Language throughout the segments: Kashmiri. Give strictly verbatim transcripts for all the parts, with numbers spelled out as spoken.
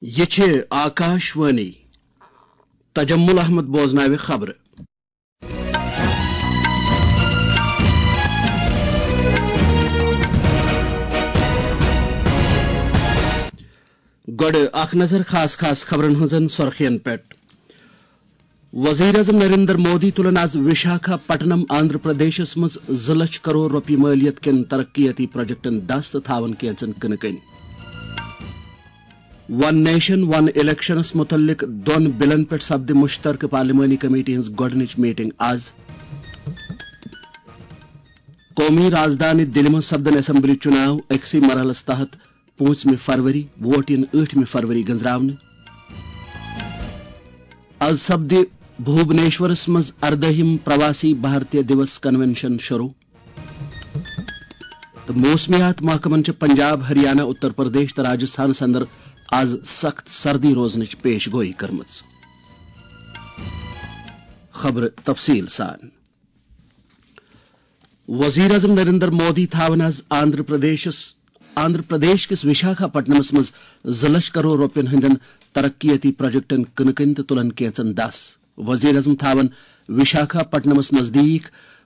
یہِ چھِ آکاش وانی۔ تجمل احمد بوزناوِ خبرٕ۔ گۄڈٕ اکھ نظر خاص خاص خبرن ہٕنٛزن سۄرخین پٮ۪ٹھ۔ وزیر اعظم نریندر مودی تُلن آز وشاکھا پٹنم آندھرا پردیشس منٛز زٕ لچھ کرور رۄپیہِ مٲلیت کٮ۪ن ترقیتی پروجیکٹن دس تہٕ تھاون کینژن کٕنہٕ کٔنۍ۔ ون نیشن ون الیکشنس متعلق دۄن بلن پٮ۪ٹھ سپدِ مشترکہٕ پارلیمانی کمیٹی ہٕنٛز گۄڈٕنِچ میٹنگ آز۔ قومی رازدانہِ دِلہِ منٛز سپدن اسمبلی چُناو، أکسٕے مرحلس تحت پوٗنٛژمہِ فروری، ووٹ یِن ٲٹھمہِ فروری گٔنزراونہٕ۔ از سپدِ بھوبنیشورس منٛز اردٲہِم پرواسی بھارتیہ دیوس کنونشن شروع۔ تہٕ موسمیات محکمن چھِ پنجاب، ہریانہ، اتر پردیش تہٕ راجستھانس اندر از سخت سردی روزنٕچ پیش گویی کٔرمٕژ۔ خبرٕ تفصیل سان۔ وزیر اعظم نریندر مودی تھاون آز آندھرا پردیشس، آندھرا پردیش کِس وشاکھا پٹنمس منٛز زٕ لچھ کرور رۄپین ہٕنٛدٮ۪ن ترقیتی پروجیکٹن کٕنہٕ کٔنۍ تہٕ تُلن کینژن دس۔ وزیر اعظم تھاون وشاکھا پٹنمس نزدیک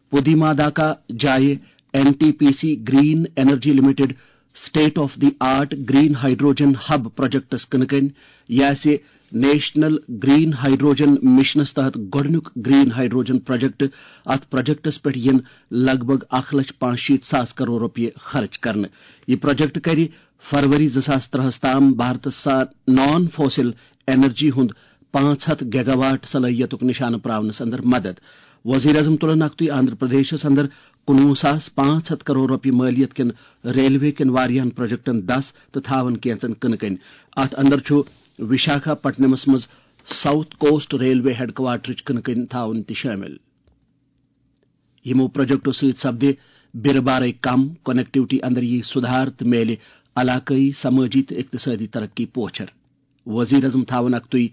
پودیماداکا جایہِ N T P C green energy limited state of the art green hydrogen hub پروجیکٹس کٕنہٕ کٔنۍ۔ یہِ آسہِ نیشنل گرین ہائیڈروجن مشنس تحت گۄڈٕنیُک گرین ہائیڈروجن پروجیکٹ۔ اتھ پروجیکٹس پٮ۪ٹھ یِن لگ بھگ اکھ لچھ پانٛژھ شیٖتھ ساس کرور رۄپیہِ خرٕچ کرنہٕ۔ یہِ پروجیکٹ کرِ فروری زٕ ساس ترٛہس تام بھارتس سان نان فوسل انرجی ہُنٛد پانٛژھ ہتھ گیگا واٹ صلٲحیتُک نشانہٕ پراونس اندر مدد۔ وزیر اعظم تُلن اکھتُے آندھرا پردیشس اندر کُنوُہ ساس پانٛژھ ہتھ کرور رۄپیہِ مٲلیت کٮ۪ن ریلوے کٮ۪ن واریاہن پروجیکٹن دس تہٕ تھاون کینژن کٕنہٕ کٔنۍ۔ اتھ اندر چھُ وشاکھا پٹنمس منٛز ساؤتھ کوسٹ ریلوے ہیڈ کوارٹرٕچ کٕنہٕ کٔنۍ تھاوُن تہِ شٲمِل۔ یِمو پروجیکٹو سۭتۍ سپدِ بیرٕ بارے کم، کنیکٹیوٹی اندر یی سدھار تہٕ میلہِ علاقٲیی، سمٲجی تہٕ اقتصٲدی ترقی پوچھر۔ وزیر اعظم تھاون اکھتُے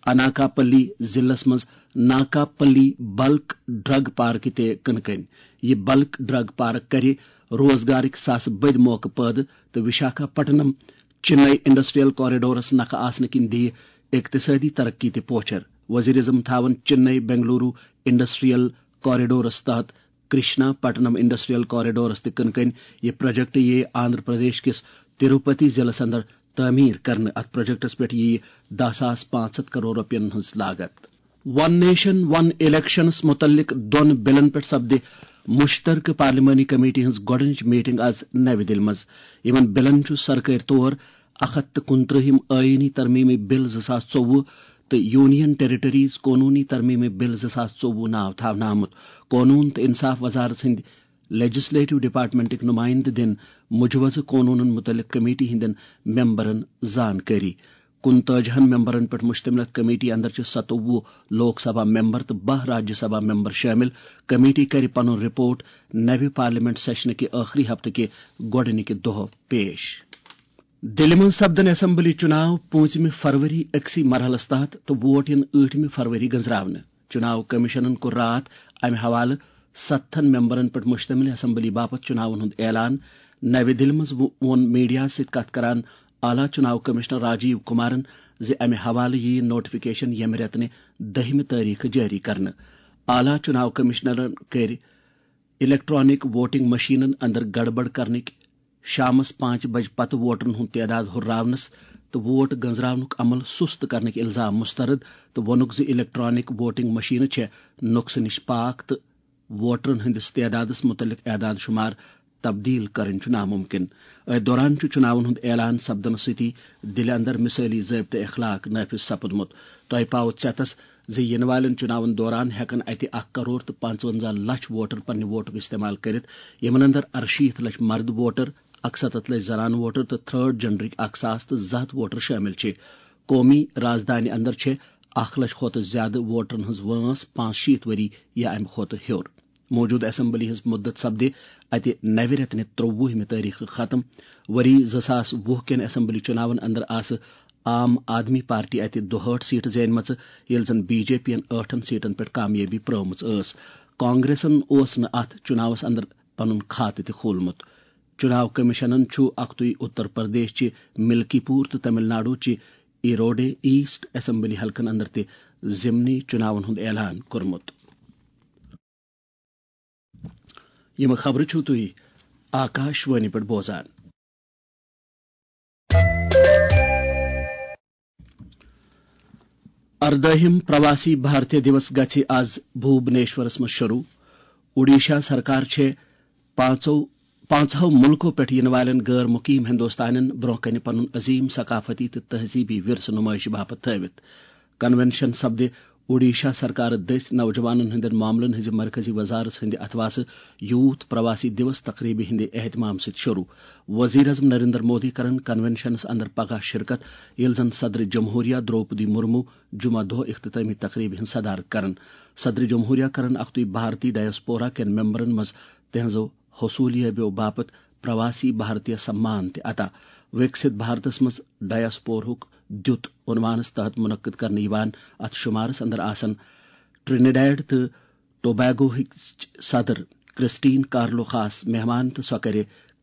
اناکاپلی ضلعس منٛز ناکاپلی بلک ڈرگ پارکہِ تہِ کٕنہٕ کٔنۍ۔ یہِ بلک ڈرگ پارک کرِ روزگارٕکۍ ساسہٕ بٔدۍ موقعہٕ پٲدٕ تہٕ وشاکھا پٹنم چنئی انڈسٹریل کوریڈورس نکھٕ آسنہٕ کِنۍ دِیہِ اقتصٲدی ترقی تہِ پوچھر۔ وزیر اعظم تھاون چنئی بنگلورو انڈسٹریل کوریڈورس تحت کرشنا پٹنم انڈسٹریل کوریڈورس تہِ کٕنہٕ کٔنۍ۔ یہِ پروجیکٹ یِیہِ آندھرا پردیش کِس تروپتی ضلعس اندر تعمیٖر کرنہٕ۔ اَتھ پروجیکٹَس پٮ۪ٹھ یِیہِ دَہ ساس پانٛژھ ہَتھ کرور رۄپیَن ہٕنٛز لاگت۔ ون نیشن ون الیکشنس متعلق دۄن بلن پٮ۪ٹھ سپدِ مشترکہٕ پارلیمانی کمیٹی ہٕنٛز گۄڈٕنِچ میٹنگ آز نَوِ دِلہِ منٛز۔ یِمَن بلن چھُ سرکٲرۍ طور اَکھ ہَتھ تہٕ کُنترٛہِم آئینی ترمیمی بل زٕ ساس ژوٚوُہ تہٕ یونین ٹیریٹریز قونوٗنی ترمیمی بل زٕ ساس ژوٚوُہ ناو تھاونہٕ آمُت۔ قونوٗن تہٕ انصاف وزارت ہٕنٛدۍ لیجسلیٹو ڈپارٹمنٹٕکۍ نمائندٕ دِن مجوزٕ قونوٗنن متعلق کمیٹی ہٕنٛدٮ۪ن ممبرن زانکٲری۔ کُنتٲجی ہن ممبرن پٮ۪ٹھ مشتمل اتھ کمیٹی اندر چھِ ستووُہ لوک سبھا ممبر تہٕ باہ راجیہ سبھا ممبر شٲمِل۔ کمیٹی کرِ پنُن رپورٹ نوِ پارلیمنٹ سیشنہٕ کہِ ٲخری ہفتہٕ کہِ گۄڈٕنِکہِ دۄہ پیش۔ دِلہِ منٛز سپدن اسمبلی چُناو پوٗنٛژمہِ فروری أکسٕے مرحلس تحت تہٕ ووٹ یِن ٲٹھمہِ فروری گٔنزراونہٕ۔ چُناو کمیشنن کوٚر راتھ امہِ حوالہٕ ستتھن ممبرن پٮ۪ٹھ مشتمل اسمبلی باپتھ چُناون ہُنٛد اعلان۔ نوِ دِلہِ منٛز وو-، ووٚن میڈیاہَس سۭتۍ کتھ کران اعلیٰ چُناو کمشنر راجیو کمارن زِ امہِ حوالہٕ یِیہِ نوٹیفکیشن ییٚمہِ رٮ۪تہٕ نہِ دٔہمہِ تٲریخہٕ جٲری کرنہٕ۔ اعلیٰ چُناو کمشنرن کٔرۍ الیکٹرانک ووٹنگ مشینن اندر گڑبڑ کرنٕکۍ شامس پانٛژِ بجہِ پتہٕ ووٹرن ہُنٛد تعداد ہُرراونس تہٕ ووٹ گنزراونُک عمل سُست کرنٕکۍ الزام مسترد تہٕ ووٚنُکھ زِ الیکٹرانک ووٹنگ مشینہٕ چھےٚ نۄقصہٕ نِش پاک تہٕ ووٹرن ہٕنٛدِس تعدادس مُتعلق اعداد شُمار تبدیل کرٕنۍ چھُ ناممکن۔ أتھۍ دوران چھُ چُناون ہُنٛد اعلان سپدنہٕ سۭتی دِلہِ اندر مثٲلی ضٲبطہٕ اخلاق نافذ سپُدمُت۔ تۄہہِ پاوٕ ژٮ۪تس زِ یِنہٕ والٮ۪ن چُناون دوران ہٮ۪کن اتہِ اکھ کرور تہٕ پنٛژونٛزاہ لچھ ووٹر پننہِ ووٹُک استعمال کٔرِتھ، یِمن اندر ارشیٖتھ لچھ مرد ووٹر، اکستتھ لچھ زنانہٕ ووٹر تہٕ تھرڈ جنڈرٕکۍ اکھ ساس تہٕ زٕ ہتھ ووٹر شٲمِل چھِ۔ قومی رازدانہِ اندر چھِ اکھ لچھ کھۄتہٕ زیادٕ ووٹرن ہٕنٛز وٲنٛس پانٛژھ شیٖتھ ؤری یا امہِ کھۄتہٕ ہیوٚر۔ موجودٕ اسمبلی ہٕنٛز مُدت سپدِ اتہِ نوِ رٮ۪تہٕ نہِ ترٛووُہمہِ تٲریخہٕ ختم۔ ؤری زٕ ساس وُہ کٮ۪ن اسمبلی چُناون اندر آسہٕ عام آدمی پارٹی اتہِ دُہٲٹھ سیٹہٕ زینمژٕ، ییٚلہِ زن بی جے پی ین ٲٹھن سیٹن پٮ۪ٹھ کامیٲبی پرٲومٕژ ٲس۔ کانگریسن اوس نہٕ اتھ چُناوس اندر پنُن کھاتہٕ تہِ کھولمُت۔ چُناو کمیشنن چھُ اکھتُے اتر پردیش چہِ ملکی پور تہٕ تمل ناڈو چہِ ایروڈے ایسٹ اسمبلی حلقن اندر تہِ ضمنی چناون ہُنٛد اعلان کوٚرمُت۔ یِم خبرٕ چھِو تُہۍ آکاش وانی پٮ۪ٹھ بوزان۔ اردٲہِم پرواسی بھارتیہ دیوس گژھِ از بھوبنیشورس منٛز شروع۔ اوڈیشہ سرکار چھےٚ پانٛژو پانٛژہو مُلکو پٮ۪ٹھ یِنہٕ والٮ۪ن غٲر مُقیم ہندوستانٮ۪ن برٛونٛہہ کنہِ پنُن عظیٖم ثقافتی تہٕ تہذیٖبی ورثہٕ نُمٲیشہِ باپتھ تھٲوِتھ۔ کنونشن سپدِ اوڈیشہ سرکارٕ دٔسۍ نوجوانن ہٕنٛدٮ۪ن معاملن ہٕنٛزِ مرکزی وزارت ہٕنٛدِ اتھواسہٕ یوتھ پرواسی دیوس تقریبہِ ہٕنٛدِ اہتمام سۭتۍ شروع۔ وزیر اعظم نریندر مودی کرن کنونشنس اندر پگاہ شرکت، ییٚلہِ زن صدر جمہوریہ درٛوپدی مرمو جمعہ دۄہ اختتامی تقریبہِ ہٕنٛز صدارت کرن۔ صدر جمہوریہ کرن اکھتُے بھارتی ڈایسپورا کٮ۪ن ممبرن منٛز تہنٛزو حصولیابیو باپتھ پرواسی بھارتیہ سمان تہِ عطا۔ وِکسِت بھارتس منٛز ڈایسپورہُک دیُت عنوانس تحت منعقد کرنہٕ یِوان۔ اتھ شمارس اندر آسن ٹرینیڈیڈ تہٕ ٹوبیگوہٕچ صدر کرسٹین کارلو خاص مہمان تہٕ سۄ کرِ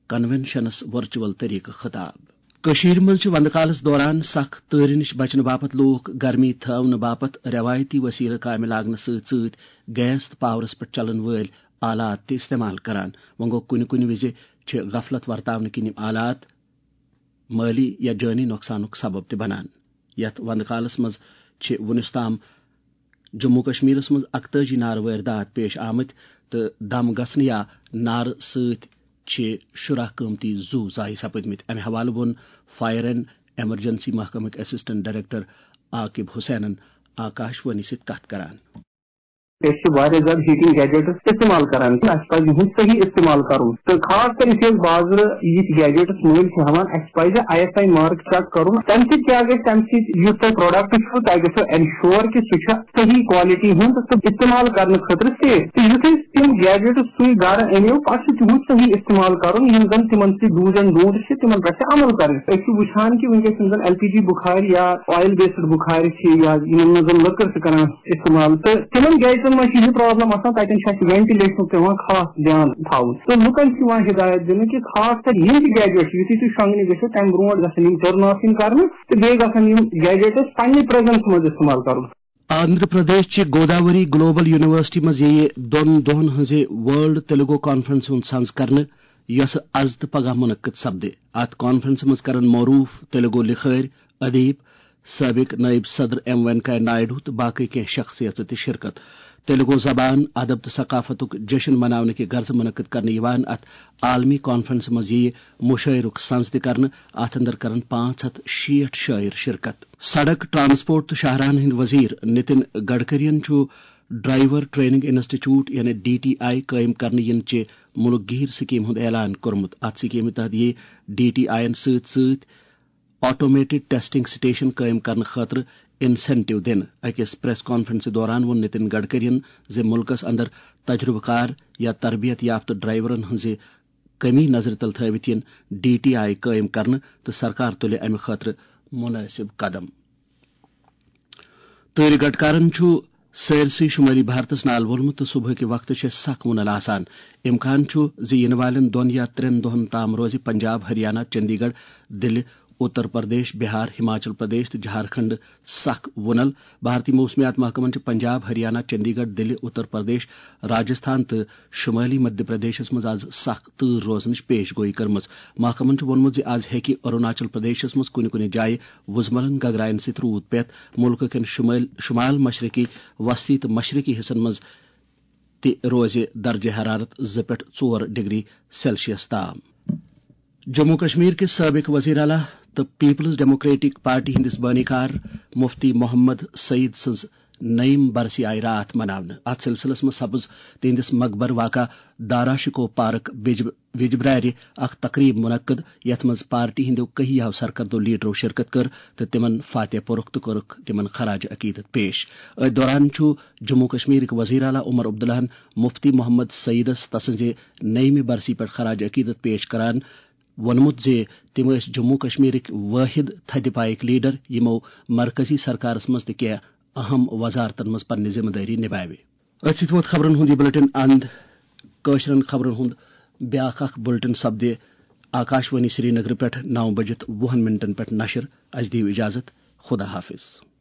کنونشنس ورچوئل طریقہٕ خطاب۔ کٔشیٖرِ منٛز چھِ وندٕ کالس دوران سخ تۭرِ نِش بچنہٕ باپتھ لوٗکھ گرمی تھاونہٕ باپتھ رٮ۪وایتی وسیلہٕ کامہِ لاگنہٕ سۭتۍ سۭتۍ گیس تہٕ پاورس پٮ۪ٹھ چلن وٲلۍ آلات تہِ استعمال کران۔ وۄنۍ گوٚو، کُنہِ کُنہِ وِزِ چھِ غفلت ورتاونہٕ کِنۍ یِم آلات مٲلی یا جٲنی نۄقصانُک سبب تہِ بنان۔ یتھ وندٕ کالس منٛز چھِ وُنیُس تام جموں کشمیرس منٛز اکتٲجی نارٕ وٲرۍ داد پیش آمٕتۍ تہٕ دم گژھنہٕ یا نارٕ سۭتۍ چھِ شُراہ قۭمتی زُو ضایع سپٕدمٕتۍ۔ امہِ حوالہٕ ووٚن فائر اینڈ ایمرجنسی محکمٕکۍ اسسٹنٹ ڈائریکٹر عاقب حسینن آکاش وانی سۭتۍ کتھ کران۔ أسۍ چھِ واریاہ زیادٕ ہیٹنگ گیجٹس استعمال کران، اَسہِ پَزِ یِہُنٛد صحیح استعمال کرُن۔ تہٕ خاص کر یُس یہِ بازرٕ یِتھۍ گیجٹس مٔلۍ چھِ ہٮ۪وان، اَسہِ پَزِ I S I mark check کرُن، تَمہِ سۭتۍ کیٛاہ گژھِ؟ تَمہِ سۭتۍ یُس تۄہہِ پروڈکٹ چھُ، تۄہہِ گژھِ انشور کہِ سُہ چھُ صحیح کوالٹی ہُنٛد تہٕ استعمال کرنہٕ خٲطرٕ سیف۔ تہٕ یُتھُے تِم گیجٹس سُے گرٕ أنِو، پَتہٕ چھُ تِہُنٛد صحیح استعمال کرُن، یِم زن تِمن سۭتۍ do's and don'ts چھِ، تِمن پٮ۪ٹھ چھِ عمل کرٕنۍ۔ أسۍ چھِ وٕچھان کہِ وٕنکیٚس یِم زن ایل پی جی بُخارِ یا آیل بیسڈ بُخارِ چھِ یا یِمن منٛز زن لٔکٕر چھِ کران استعمال، تہٕ تِمن گیجٹن منٛز چھِ یہِ پرابلم آسان، تتٮ۪ن چھُ اَسہِ وینٹِلیشنُک پٮ۪وان خاص دیان تھاوُن۔ تہٕ لُکن چھُ یِوان ہدایت دِنہٕ کہِ خاص کر یِم تہِ گیجٹ چھِ، یُتھُے تُہۍ شۄنٛگنہِ گٔژھِو، تمہِ برونٛٹھ گژھن یِم ٹٔرن آف یِنۍ کرنہٕ تہٕ بیٚیہِ گژھن یِم گیجٹس پننہِ پریزنس منٛز استعمال کرُن۔ آندھرا پردیش چہِ گوداوری گلوبل یونیورسٹی منٛز یِیہِ دۄن دۄہن ہٕنٛزِ ورلڈ تیلگو کانفرنس ہُنٛد سنز کرنہٕ، یۄسہٕ از تہٕ پگاہ منعقد سپدِ۔ اتھ کانفرنسہِ منٛز کرن معروف تیلگو لکھٲرۍ، ادیب، سابق نائب صدر ایم وینکیا نائیڈو تہٕ باقی کینٛہہ شخصیژٕ تہِ شرکت۔ تیلگو زبان، ادب تہٕ ثقافتُک جشن مناونہٕ کہِ غرضہٕ منعقد کرنہٕ یِوان اتھ عالمی کانفرنسہِ منٛز یِیہِ مشاعرُک سنز تہِ کرنہٕ۔ اتھ اندر کرن پانٛژھ ہتھ شیٹھ شٲعر شرکت۔ سڑک، ٹرانسپورٹ تہٕ شاہراہن ہٕنٛدۍ وزیر نتن گڈکرین چھُ ڈرائیور ٹریننگ انسٹیٹیوٹ یعنی ڈی ٹی آئی قٲیِم کرنہٕ یِنہٕ چہِ مُلک گیر سکیٖم ہُنٛد اعلان کوٚرمُت۔ اتھ سکیٖمہِ تحت یِیہِ ڈی ٹی آئی یَن سۭتۍ سۭتۍ آٹومیٹڈ ٹیسٹنگ سٹیشن قٲیِم کرنہٕ خٲطرٕ انسینٹیو دِنہٕ۔ أکِس پریس کانفرنسہِ دوران ووٚن نتن گڈکرین زِ مُلکَس اندر تجربہٕ کار یا تربیت یافتہٕ ڈرائیورن ہٕنٛزِ کمی نظرِ تل تھٲوِتھ یِن ڈی ٹی آئی قٲیِم کرنہٕ تہٕ سرکار تُلہِ امہِ خٲطرٕ مناسب قدم۔ تۭرِ گٹکارن چھُ سٲرسٕے شمٲلی بھارتس نال وولمُت تہٕ صبحٕکہِ وقتہٕ چھےٚ سخ وُنل آسان۔ امکان چھُ زِ یِنہٕ والٮ۪ن دۄن یا ترٛٮ۪ن دۄہن تام روزِ پنجاب، ہریانہ، چندی گڑھ، دِلہِ، اتر پردیش، بہار، ہماچل پردیش تہٕ جھارکھنڈ سخ وُنل۔ بھارتی موسمیات محکمن چھِ پنجاب، ہریانہ، چندی گڑھ، دِلہِ، اتر پردیش، راجستھان تہٕ شمٲلی مدھیہ پردیشس منٛز از سخ تۭر روزنٕچ پیش گویی کٔرمٕژ۔ محکمن چھُ ووٚنمُت زِ از ہیٚکہِ اروناچل پردیشس منٛز کُنہِ کُنہِ جایہِ وُزملن گگراین سۭتۍ روٗد پٮ۪تھ۔ مُلکہٕ کٮ۪ن شمٲلۍ، شمال مشرقی وسطی تہٕ مشرقی حصن منٛز تہِ روزِ درجہ حرارت زٕ پٮ۪ٹھ ژور ڈگری سیلسیس تام۔ جموں کشمیر کِس سٲبِق وزیر اعلیٰ تہٕ پیپلز ڈیموکریٹک پارٹی ہٕنٛدِس بٲنی کار مفتی محمد سعید سٕنٛز نٔیِم برسی آیہِ راتھ مناونہٕ۔ اتھ سلسلس منٛز سپٕز تِہنٛدِس مقبر واقع دارا شکوہ پارک بج-، وجبرارِ اکھ تقریب منعقد، یتھ منٛز پارٹی ہٕنٛدیو کہیاہو سرکردو لیڈرو شرکت کٔر تہٕ تِمن فاتح پوٚرُکھ تہٕ کوٚرُکھ تِمن خراج عقیدت پیش۔ أتھۍ دوران چھُ جموں کشمیرٕکۍ وزیر اعلیٰ عمر عبداللہن مفتی محمد سعیدس تسٕنزِ نٔیمہِ برسی پٮ۪ٹھ خراج عقیدت پیش کران ووٚنمُت زِ تِم ٲسۍ جموں کشمیرٕکۍ وٲحد تھدِ پایٕکۍ لیڈر، یِمو مرکزی سرکارس منٛز تہِ کینٛہہ اہم وزارتن منٛز پننہِ ذمہٕ دٲری نباوِ۔ أتھۍ سۭتۍ ووت خبرن ہُنٛد یہِ بُلٹن اند۔ کٲشرٮ۪ن خبرن ہُنٛد بیٛاکھ اکھ بُلٹن سپدِ آکاشوانی سرینگرٕ پٮ۪ٹھ نو بجِتھ وُہن منٹن پٮ۪ٹھ نشر۔ اسہِ دِیِو اجازت۔ خدا حافظ۔